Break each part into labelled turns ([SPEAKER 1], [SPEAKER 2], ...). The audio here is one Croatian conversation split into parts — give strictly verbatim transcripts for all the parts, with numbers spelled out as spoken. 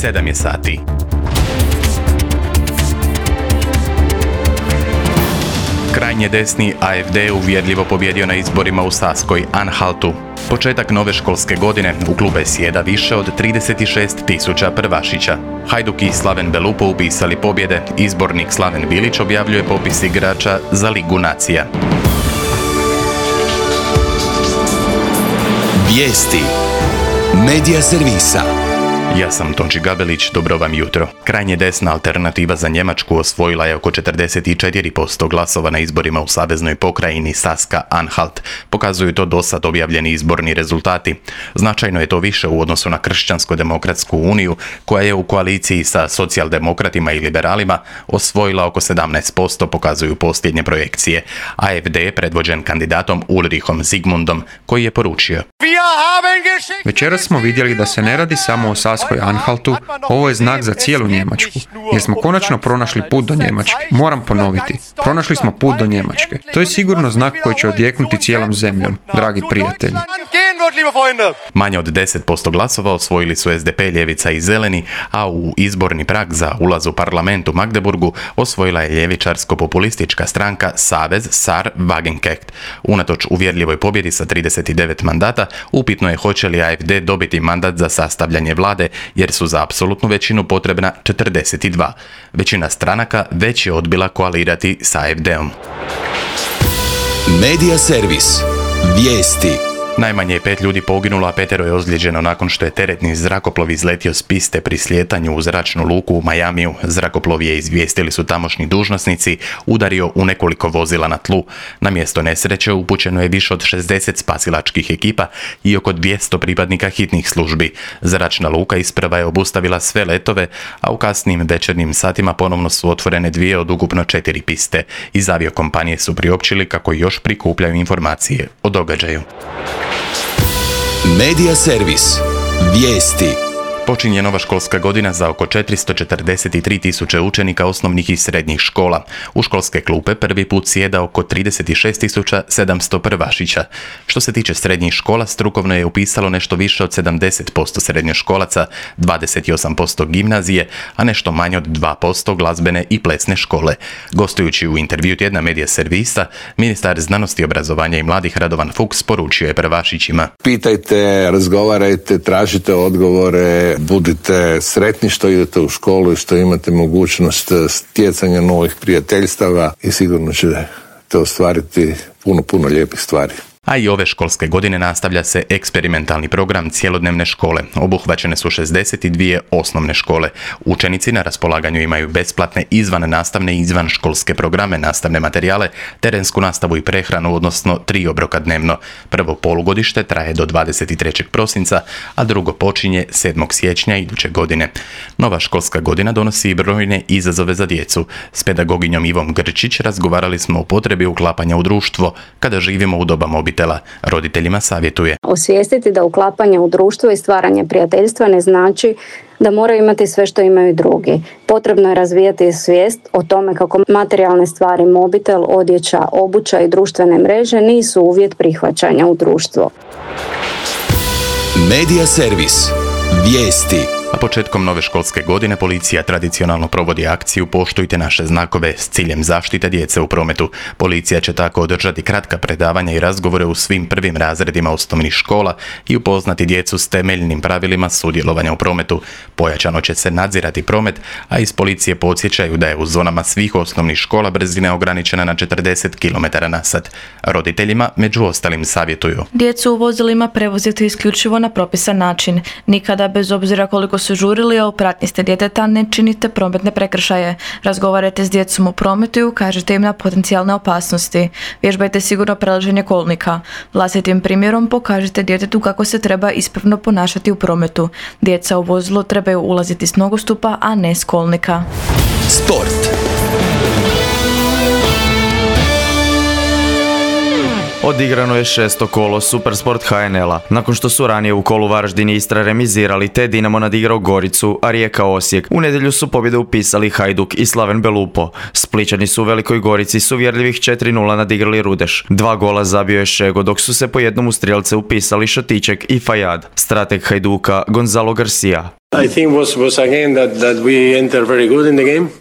[SPEAKER 1] sedam je sati. Krajnje desni A F D uvjerljivo pobjedio na izborima u Saskoj Anhaltu. Početak nove školske godine u klube sjeda više od trideset šest tisuća prvašića. Hajduk i Slaven Belupo upisali pobjede, izbornik Slaven Bilić objavljuje popis igrača za Ligu nacija.
[SPEAKER 2] Vijesti Medija servisa.
[SPEAKER 1] Ja sam Tonči Gabelić, dobro vam jutro. Krajnje desna alternativa za Njemačku osvojila je oko četrdeset četiri posto glasova na izborima u saveznoj pokrajini Saska-Anhalt. Pokazuju to dosad objavljeni izborni rezultati. Značajno je to više u odnosu na Kršćansko-demokratsku uniju, koja je u koaliciji sa socijaldemokratima i liberalima osvojila oko sedamnaest posto, pokazuju posljednje projekcije. A F D je predvođen kandidatom Ulrichom Zigmundom, koji je poručio:
[SPEAKER 3] Večeras smo vidjeli da se ne radi samo o Saskoj Anhaltu, ovo je znak za cijelu Njemačku, jer smo konačno pronašli put do Njemačke. Moram ponoviti, pronašli smo put do Njemačke. To je sigurno znak koji će odjeknuti cijelom zemljom, dragi prijatelji.
[SPEAKER 1] Manje od deset posto glasova osvojili su S D P, Ljevica i Zeleni, a u izborni prag za ulaz u parlament u Magdeburgu osvojila je ljevičarsko-populistička stranka Savez Sar Wagenknecht. Unatoč uvjerljivoj pobjedi sa trideset devet mandata, upitno je hoće li A F D dobiti mandat za sastavljanje vlade, jer su za apsolutnu većinu potrebna četrdeset dva. Većina stranaka već je odbila koalirati s A F D-om.
[SPEAKER 2] Medija servis. Vijesti.
[SPEAKER 1] Najmanje je pet ljudi poginulo, a petero je ozlijeđeno nakon što je teretni zrakoplov izletio s piste pri slijetanju u zračnu luku u Majamiju. Zrakoplov je, izvijestili su tamošnji dužnosnici, udario u nekoliko vozila na tlu. Na mjesto nesreće upućeno je više od šezdeset spasilačkih ekipa i oko dvjesto pripadnika hitnih službi. Zračna luka isprva je obustavila sve letove, a u kasnim večernjim satima ponovno su otvorene dvije od ukupno četiri piste. Iz aviokompanije su priopćili kako još prikupljaju informacije o događaju.
[SPEAKER 2] Medija servis. Vijesti.
[SPEAKER 1] Počinje nova školska godina za oko četiristo četrdeset tri tisuće učenika osnovnih i srednjih škola. U školske klupe prvi put sjeda oko trideset šest tisuća sedamsto prvašića. Što se tiče srednjih škola, strukovno je upisalo nešto više od sedamdeset posto srednjoškolaca, dvadeset osam posto gimnazije, a nešto manje od dva posto glazbene i plesne škole. Gostujući u intervju tjedna Medija servisa, ministar znanosti, obrazovanja i mladih Radovan Fuchs poručio je prvašićima:
[SPEAKER 4] Pitajte, razgovarajte, tražite odgovore, budite sretni što idete u školu i što imate mogućnost stjecanja novih prijateljstava i sigurno ćete ostvariti puno, puno lijepih stvari.
[SPEAKER 1] A i ove školske godine nastavlja se eksperimentalni program cjelodnevne škole. Obuhvaćene su šezdeset dvije osnovne škole. Učenici na raspolaganju imaju besplatne izvan nastavne i izvan školske programe, nastavne materijale, terensku nastavu i prehranu, odnosno tri obroka dnevno. Prvo polugodište traje do dvadeset trećeg prosinca, a drugo počinje sedmog siječnja iduće godine. Nova školska godina donosi i brojne izazove za djecu. S pedagoginjom Ivom Grčić razgovarali smo o potrebi uklapanja u društvo kada živimo u doba mobitela. Roditeljima savjetuje:
[SPEAKER 5] osvijestiti da uklapanje u društvo i stvaranje prijateljstva ne znači da moraju imati sve što imaju drugi. Potrebno je razvijati svijest o tome kako materijalne stvari, mobitel, odjeća, obuća i društvene mreže nisu uvjet prihvaćanja u društvo.
[SPEAKER 2] Medija servis. Vijesti.
[SPEAKER 1] A početkom nove školske godine policija tradicionalno provodi akciju Poštujte naše znakove s ciljem zaštite djece u prometu. Policija će tako održati kratka predavanja i razgovore u svim prvim razredima osnovnih škola i upoznati djecu s temeljnim pravilima sudjelovanja u prometu. Pojačano će se nadzirati promet, a iz policije podsjećaju da je u zonama svih osnovnih škola brzina ograničena na četrdeset kilometara na sat. Roditeljima među ostalim savjetuju:
[SPEAKER 6] djecu u vozilima prevozite isključivo na propisan način. Nikada, bez obzira koliko su žurili, a u pratnji ste djeteta, ne činite prometne prekršaje. Razgovarajte s djecom u prometu i ukažite im na potencijalne opasnosti. Vježbajte sigurno prelaženje kolnika. Vlastitim primjerom pokažite djetetu kako se treba ispravno ponašati u prometu. Djeca u vozilo trebaju ulaziti s nogostupa, a ne s kolnika.
[SPEAKER 2] Sport.
[SPEAKER 7] Odigrano je šesto kolo Supersport H N L-a. Nakon što su ranije u kolu Varaždin i Istra remizirali, te Dinamo nadigrao Goricu, a Rijeka Osijek. U nedjelju su pobjede upisali Hajduk i Slaven Belupo. Splićani su u Velikoj Gorici s uvjerljivih četiri nula nadigrali Rudeš. Dva gola zabio je Šego, dok su se po jednom u strijelce upisali Šatiček i Fajad. Strateg Hajduka Gonzalo Garcia: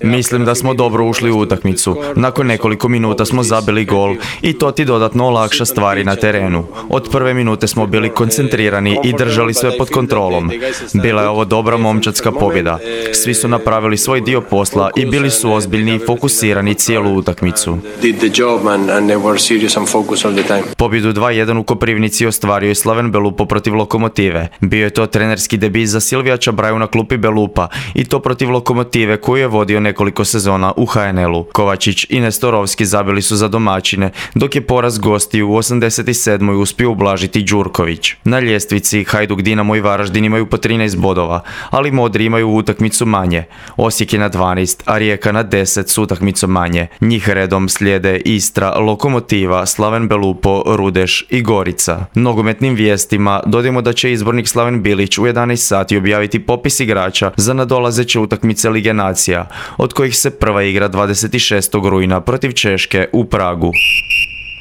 [SPEAKER 7] Mislim da smo dobro ušli u utakmicu. Nakon nekoliko minuta smo zabili gol i to ti dodatno olakša stvari na terenu. Od prve minute smo bili koncentrirani i držali sve pod kontrolom. Bila je ovo dobra momčadska pobjeda. Svi su napravili svoj dio posla i bili su ozbiljni i fokusirani cijelu utakmicu. Pobjedu dva jedan u Koprivnici ostvario je Slaven Belupo protiv Lokomotive. Bio je to trenerski debit za Silvija Čabraju na klupi Belupa i to protiv Lokomotive koju je vodio nekoliko sezona u ha en el-u. Kovačić i Nestorovski zabili su za domaćine, dok je poraz gostiju u osamdeset sedmoj uspio ublažiti Đurković. Na ljestvici Hajduk, Dinamo i Varaždin imaju po trinaest bodova, ali Modri imaju utakmicu manje. Osijek je na dvanaest, a Rijeka na deset s utakmicom manje. Njih redom slijede Istra, Lokomotiva, Slaven Belupo, Rudeš i Gorica. Nogometnim vijestima dodajemo da će izbornik Slaven Bilić u jedanaest sati objaviti popis igrača za nadolazeće utakmice Lige nacija, od kojih se prva igra dvadeset šestog rujna protiv Češke u Pragu.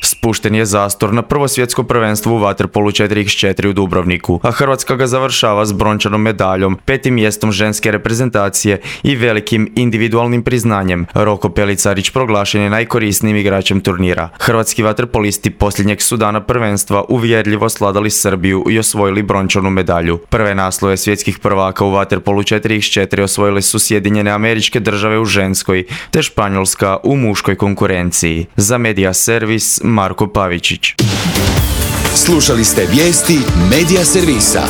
[SPEAKER 7] Spušten je zastor na prvo svjetsko prvenstvo u vaterpolu četiri iks četiri u Dubrovniku, a Hrvatska ga završava s brončanom medaljom, petim mjestom ženske reprezentacije i velikim individualnim priznanjem. Roko Pelicarić proglašen je najkorisnijim igračem turnira. Hrvatski vaterpolisti posljednjeg su dana prvenstva uvjerljivo sladali Srbiju i osvojili brončanu medalju. Prve naslove svjetskih prvaka u vaterpolu četiri iks četiri osvojile su Sjedinjene Američke Države u ženskoj, te Španjolska u muškoj konkurenciji. Za Media Servis Marko Pavičić.
[SPEAKER 2] Slušali ste vijesti Media Servisa.